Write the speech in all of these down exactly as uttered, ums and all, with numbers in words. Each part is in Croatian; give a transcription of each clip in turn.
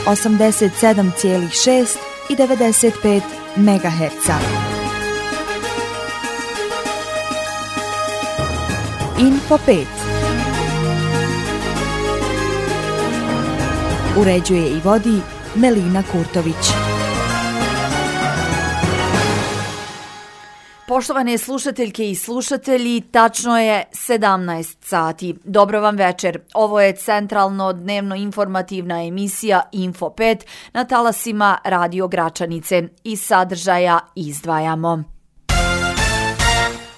osamdeset sedam zarez šest i devedeset pet megaherca. Info pet. Uređuje i vodi Melina Kurtović. Poštovane slušateljke i slušatelji, tačno je sedamnaest sati. Dobro vam večer. Ovo je centralno dnevno informativna emisija Info pet na talasima Radio Gračanice. Iz sadržaja izdvajamo.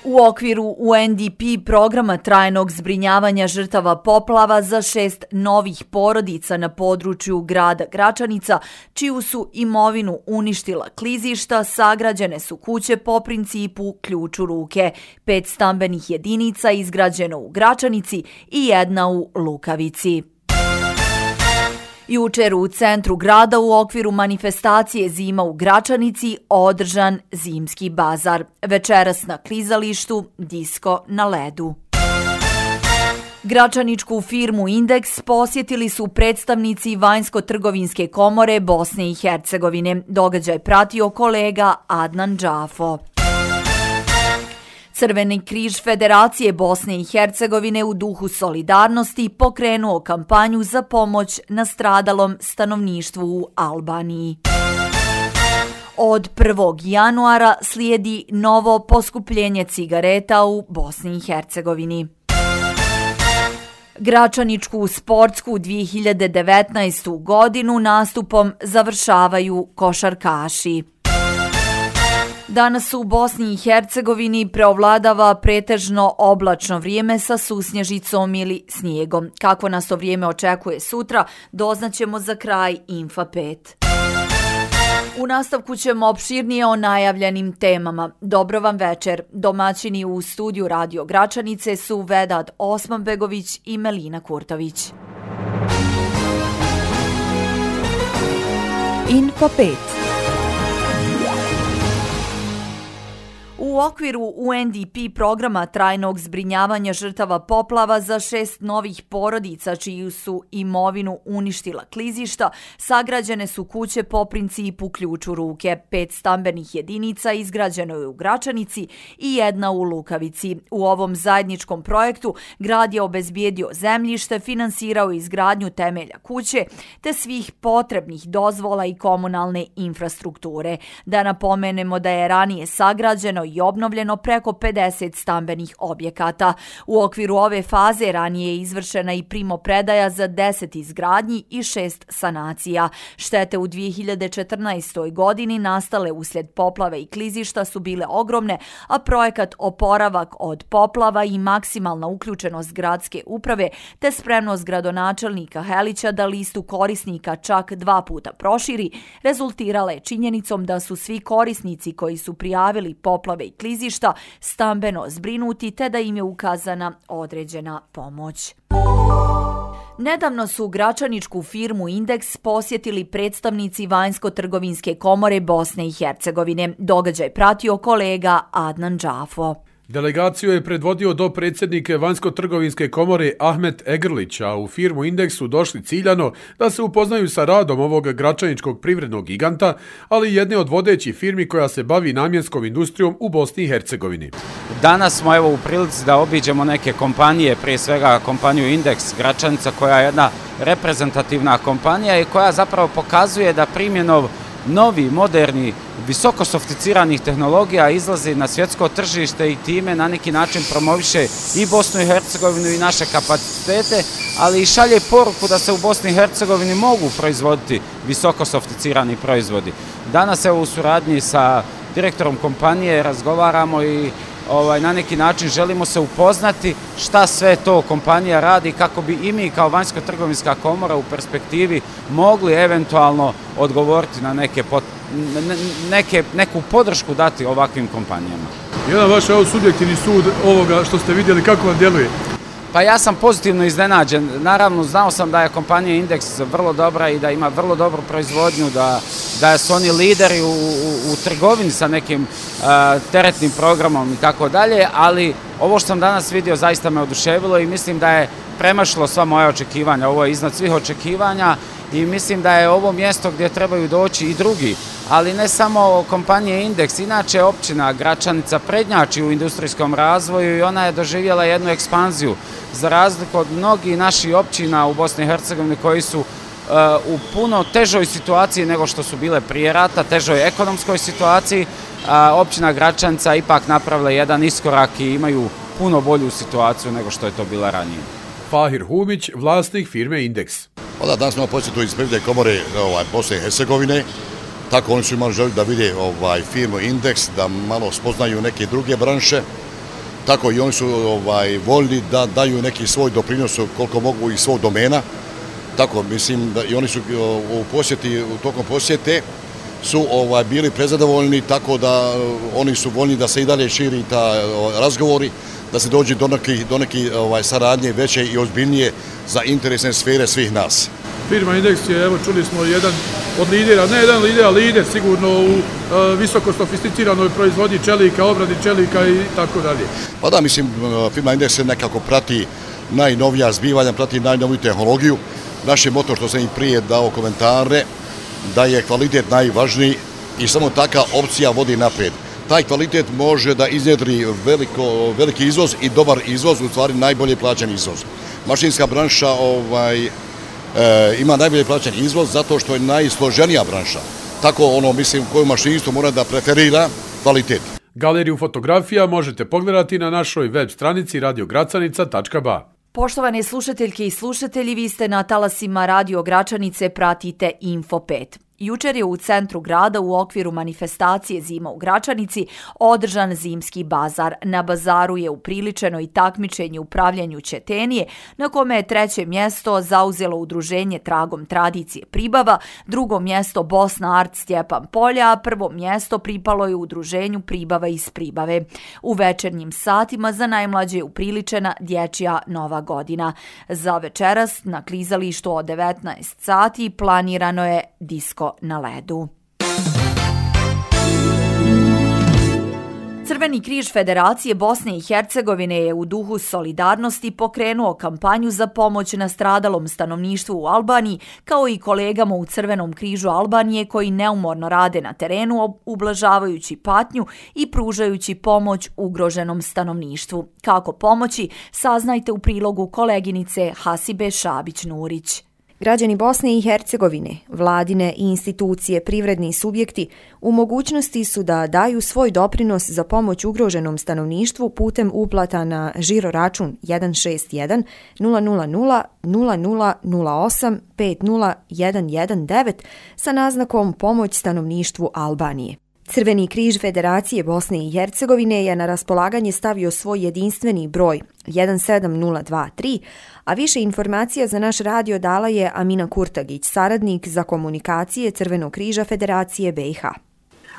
U okviru U N D P programa trajnog zbrinjavanja žrtava poplava za šest novih porodica na području grada Gračanica, čiju su imovinu uništila klizišta, sagrađene su kuće po principu ključ u ruke, pet stambenih jedinica izgrađeno u Gračanici i jedna u Lukavici. Jučer u centru grada u okviru manifestacije Zima u Gračanici održan zimski bazar. Večeras na klizalištu disko na ledu. Gračaničku firmu Indeks posjetili su predstavnici Vanjsko-trgovinske komore Bosne i Hercegovine. Događaj pratio kolega Adnan Džafo. Crveni križ Federacije Bosne i Hercegovine u duhu solidarnosti pokrenuo kampanju za pomoć nastradalom stanovništvu u Albaniji. Od prvog januara slijedi novo poskupljenje cigareta u Bosni i Hercegovini. Gračaničku sportsku dvije hiljade devetnaestu. godinu nastupom završavaju košarkaši. Danas u Bosni i Hercegovini preovladava pretežno oblačno vrijeme sa susnježicom ili snijegom. Kako nas to vrijeme očekuje sutra, doznaćemo za kraj Infa pet. U nastavku ćemo opširnije o najavljenim temama. Dobro vam večer. Domaćini u studiju Radio Gračanice su Vedat Osmanbegović i Melina Kurtović. Info pet. U okviru U N D P programa trajnog zbrinjavanja žrtava poplava za šest novih porodica čiju su imovinu uništila klizišta, sagrađene su kuće po principu ključ u ruke, pet stambenih jedinica izgrađeno je u Gračanici i jedna u Lukavici. U ovom zajedničkom projektu grad je obezbijedio zemljište, finansirao izgradnju temelja kuće te svih potrebnih dozvola i komunalne infrastrukture. Da napomenemo da je ranije sagrađeno i obnovljeno preko pedeset stambenih objekata. U okviru ove faze ranije je izvršena i primopredaja za deset izgradnji i šest sanacija. Štete u dvije hiljade četrnaestoj. godini nastale uslijed poplave i klizišta su bile ogromne, a projekat oporavak od poplava i maksimalna uključenost gradske uprave te spremnost gradonačelnika Helića da listu korisnika čak dva puta proširi, rezultirala je činjenicom da su svi korisnici koji su prijavili poplave i klizišta stambeno zbrinuti te da im je ukazana određena pomoć. Nedavno su gračaničku firmu Indeks posjetili predstavnici Vanjsko-trgovinske komore Bosne i Hercegovine. Događaj pratio kolega Adnan Džafo. Delegaciju je predvodio dopredsjednike Vanjsko-trgovinske komore Ahmet Egrlić, a u firmu Indeks su došli ciljano da se upoznaju sa radom ovog gračaničkog privrednog giganta, ali i jedne od vodećih firmi koja se bavi namjenskom industrijom u Bosni i Hercegovini. Danas smo evo u prilici da obiđemo neke kompanije, prije svega kompaniju Indeks Gračanica koja je jedna reprezentativna kompanija i koja zapravo pokazuje da primjenom novi, moderni, visoko sofisticiranih tehnologija izlazi na svjetsko tržište i time na neki način promoviše i Bosnu i Hercegovinu i naše kapacitete, ali i šalje poruku da se u Bosni i Hercegovini mogu proizvoditi visoko sofisticirani proizvodi. Danas evo u suradnji sa direktorom kompanije razgovaramo i Ovaj, na neki način želimo se upoznati šta sve to kompanija radi kako bi i mi kao Vanjsko-trgovinska komora u perspektivi mogli eventualno odgovoriti na neke, pot, neke, neku podršku dati ovakvim kompanijama. Jedan vaš evo subjektivni sud ovoga što ste vidjeli, kako vam djeluje? Pa ja sam pozitivno iznenađen. Naravno, znao sam da je kompanija Indeks vrlo dobra i da ima vrlo dobru proizvodnju, da, da su oni lideri u, u, u trgovini sa nekim uh, teretnim programom i tako dalje, ali ovo što sam danas vidio zaista me oduševilo i mislim da je premašilo sva moja očekivanja. Ovo je iznad svih očekivanja i mislim da je ovo mjesto gdje trebaju doći i drugi, ali ne samo kompanije Indeks, inače općina Gračanica prednjači u industrijskom razvoju i ona je doživjela jednu ekspanziju za razliku od mnogih naših općina u Bosni i Hercegovini koji su u puno težoj situaciji nego što su bile prije rata, težoj ekonomskoj situaciji. Općina Gračanica ipak napravila jedan iskorak i imaju puno bolju situaciju nego što je to bila ranije. Fahir Humić, vlasnik firme Indeks. Da, danas smo posjetu iz Privredne komore ovaj, Bosne i Hercegovine, tako oni su imali želju da vide ovaj, firmu Indeks, da malo spoznaju neke druge branše, tako i oni su ovaj, voljni da daju neki svoj doprinos koliko mogu iz svog domena. Tako, mislim, da i oni su u posjeti, u tokom posjete su ovaj, bili prezadovoljni, tako da oni su voljni da se i dalje širi ta ovaj, razgovori, da se dođe do neke do neki, ovaj, saradnje veće i ozbiljnije za interesne sfere svih nas. Firma Indeks je, evo čuli smo, jedan od lidera, ne jedan lider, lider sigurno u e, visoko sofisticiranoj proizvodnji čelika, obradi čelika i tako dalje. Pa da, mislim, firma Indeks nekako prati najnovija zbivanja, prati najnoviju tehnologiju. Naš je moto, što sam i prije dao komentare, da je kvalitet najvažniji i samo taka opcija vodi naprijed. Taj kvalitet može da iznjedri veliko, veliki izvoz i dobar izvoz, u stvari najbolje plaćen izvoz. Mašinska branša ovaj, e, ima najbolje plaćen izvoz zato što je najsloženija branša. Tako ono, mislim, koju mašinstvo mora da preferira kvalitet. Galeriju fotografija možete pogledati na našoj web stranici radio gracanica tačka ba. Poštovane slušateljke i slušatelji, vi ste na talasima Radio Gračanice, pratite Info pet. Jučer je u centru grada u okviru manifestacije Zima u Gračanici održan zimski bazar. Na bazaru je upriličeno i takmičenje u pravljenju ćetenije, na kome je treće mjesto zauzelo udruženje Tragom tradicije Pribava, drugo mjesto Bosna Art Stjepan Polja, a prvo mjesto pripalo je udruženju Pribava iz Pribave. U večernjim satima za najmlađe je upriličena dječja Nova godina. Za večeras na klizalištu od devetnaest sati planirano je disko na ledu. Crveni križ Federacije Bosne i Hercegovine je u duhu solidarnosti pokrenuo kampanju za pomoć nastradalom stanovništvu u Albaniji, kao i kolegama u Crvenom križu Albanije koji neumorno rade na terenu, ublažavajući patnju i pružajući pomoć ugroženom stanovništvu. Kako pomoći, saznajte u prilogu koleginice Hasibe Šabić-Nurić. Građani Bosne i Hercegovine, vladine i institucije, privredni subjekti u mogućnosti su da daju svoj doprinos za pomoć ugroženom stanovništvu putem uplata na žiro račun jedan šest jedan nula nula nula nula nula nula osam pet nula jedan jedan devet sa naznakom Pomoć stanovništvu Albanije. Crveni križ Federacije Bosne i Hercegovine je na raspolaganje stavio svoj jedinstveni broj jedan sedam nula dva tri, a više informacija za naš radio dala je Amina Kurtagić, saradnik za komunikacije Crvenog križa Federacije B i H.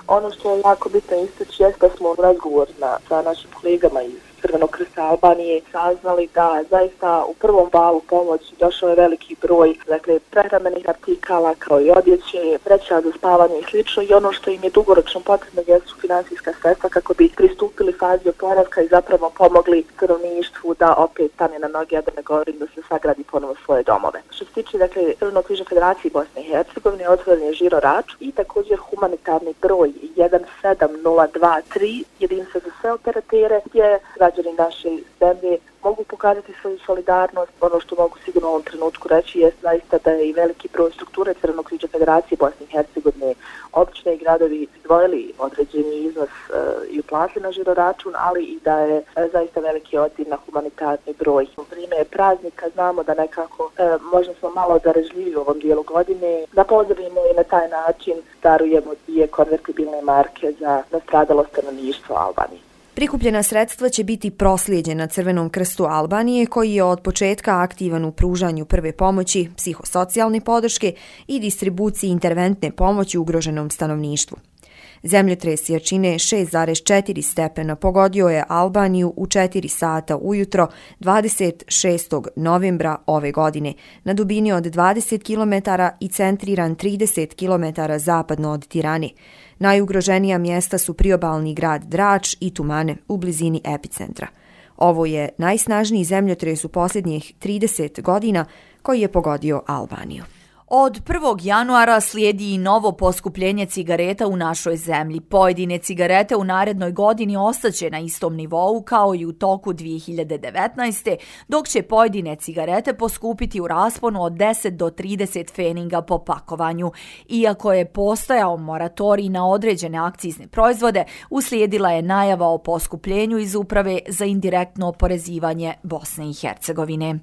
Ono što je jako bitno istaći jeste da smo razgovor na, sa našim kolegama iz Crvenog krsta Albanije saznali da zaista u prvom valu pomoći došao je veliki broj, dakle, prehrambenih artikala kao i odjeće, vreća za spavanje i slično, i ono što im je dugoročno potrebno jesu finansijska sredstva kako bi pristupili fazi oporavka i zapravo pomogli stanovništvu da opet stane na noge, a da ne govorim da se sagradi ponovo svoje domove. Što se tiče, dakle, Crvenog križa Federacije Bosne i Hercegovine, otvoren je žiro račun i također humanitarni broj jedan sedam nula dva tri, jedinstvo za sve operatere, gdje građani naše zemlje mogu pokazati svoju solidarnost. Ono što mogu sigurno u ovom trenutku reći je zaista da je i veliki broj strukture Crvenog križa Federacije Bosne i Hercegovine, općine i gradovi izdvojili određeni iznos e, i uplatili na žiro račun, ali i da je e, zaista veliki odziv na humanitarni broj. U vrijeme praznika znamo da nekako e, možda smo malo darežljivi u ovom dijelu godine, da pozdravimo i na taj način darujemo dvije konvertibilne marke za nastradalo stanovništvo Albanije. Prikupljena sredstva će biti proslijeđena Crvenom krstu Albanije, koji je od početka aktivan u pružanju prve pomoći, psihosocijalne podrške i distribuciji interventne pomoći ugroženom stanovništvu. Zemljotres jačine šest zarez četiri stepena pogodio je Albaniju u četiri sata ujutro dvadeset šestog novembra ove godine na dubini od dvadeset kilometara i centriran trideset kilometara zapadno od Tirane. Najugroženija mjesta su priobalni grad Drač i Tumane u blizini epicentra. Ovo je najsnažniji zemljotres u posljednjih trideset godina koji je pogodio Albaniju. Od prvog januara slijedi i novo poskupljenje cigareta u našoj zemlji. Pojedine cigarete u narednoj godini ostaće na istom nivou kao i u toku dvije hiljade devetnaeste. dok će pojedine cigarete poskupiti u rasponu od deset do trideset pfeninga po pakovanju. Iako je postojao moratorij na određene akcizne proizvode, uslijedila je najava o poskupljenju iz Uprave za indirektno oporezivanje Bosne i Hercegovine.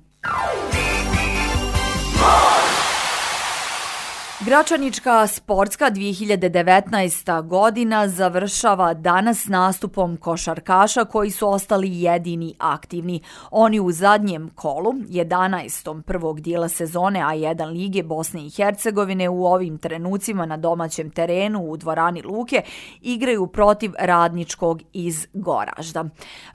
Gračanička sportska dvije hiljade devetnaesta. godina završava danas nastupom košarkaša koji su ostali jedini aktivni. Oni u zadnjem kolu, jedanaestom prvog dijela sezone A jedan lige Bosne i Hercegovine u ovim trenucima na domaćem terenu u dvorani Luke igraju protiv Radničkog iz Goražda.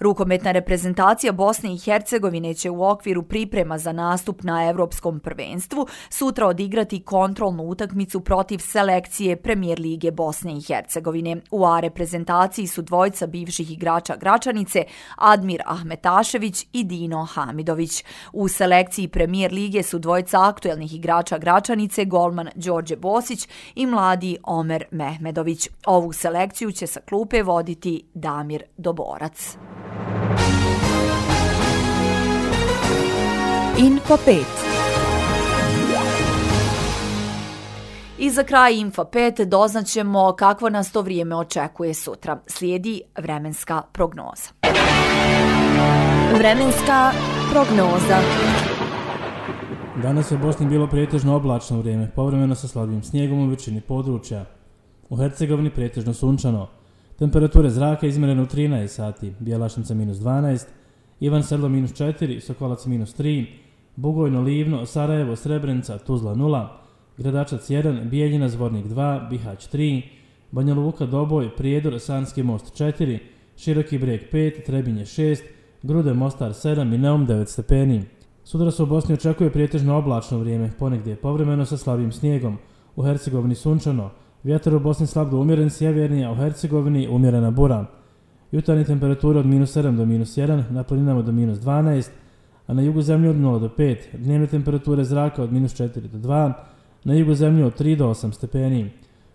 Rukometna reprezentacija Bosne i Hercegovine će u okviru priprema za nastup na Evropskom prvenstvu sutra odigrati kontrolnu utakmicu protiv selekcije Premijer lige Bosne i Hercegovine. U A reprezentaciji su dvojica bivših igrača Gračanice, Admir Ahmetašević i Dino Hamidović. U selekciji Premijer lige su dvojica aktuelnih igrača Gračanice, golman Đorđe Bosić i mladi Omer Mehmedović. Ovu selekciju će sa klupe voditi Damir Doborac. Info pet. I za kraj Info pet doznaćemo kakvo nas to vrijeme očekuje sutra. Slijedi vremenska prognoza. Vremenska prognoza. Danas je u Bosni bilo pretežno oblačno vrijeme, povremeno sa slabim snijegom u većini područja. U Hercegovini pretežno sunčano. Temperature zraka izmjerene u trinaest sati, Bjelašnica minus dvanaest, Ivan Sedlo minus četiri, Sokolac minus tri, Bugojno, Livno, Sarajevo, Srebrenica, Tuzla nula, Gradačac jedan, Bijeljina, Zvornik dva, Bihać tri, Banja Luka, Doboj, Prijedor, Sanski most četiri, Široki Brijeg pet, Trebinje šest, Grude, Mostar sedam i Neum devet stepeni. Sutra se u Bosni očekuje pretežno oblačno vrijeme, ponegdje povremeno sa slabim snijegom. U Hercegovini sunčano, vjetar u Bosni slab do umjeren sjeverni, a u Hercegovini umjerena bura. Jutarnje temperature od minus sedam do minus jedan, na planinama do minus dvanaest, a na jugu zemlje od nula do pet, dnevne temperature zraka od minus četiri do dva, na jugu zemlje od tri do osam stepeni.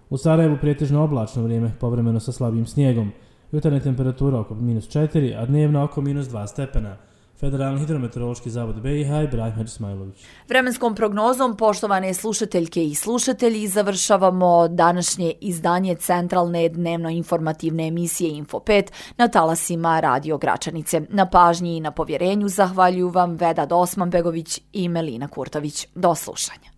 U Sarajevu pretežno oblačno vrijeme, povremeno sa slabim snijegom. Jutarnje temperatura oko minus četiri, a dnevna oko minus dva stepena. Federalni hidrometeorološki zavod B i H i Ibrahim Hadžismailović. Vremenskom prognozom, poštovane slušateljke i slušatelji, završavamo današnje izdanje centralne dnevno-informativne emisije Info pet na talasima Radio Gračanice. Na pažnji i na povjerenju zahvaljuju vam Vedad Osmanbegović i Melina Kurtović. Do slušanja.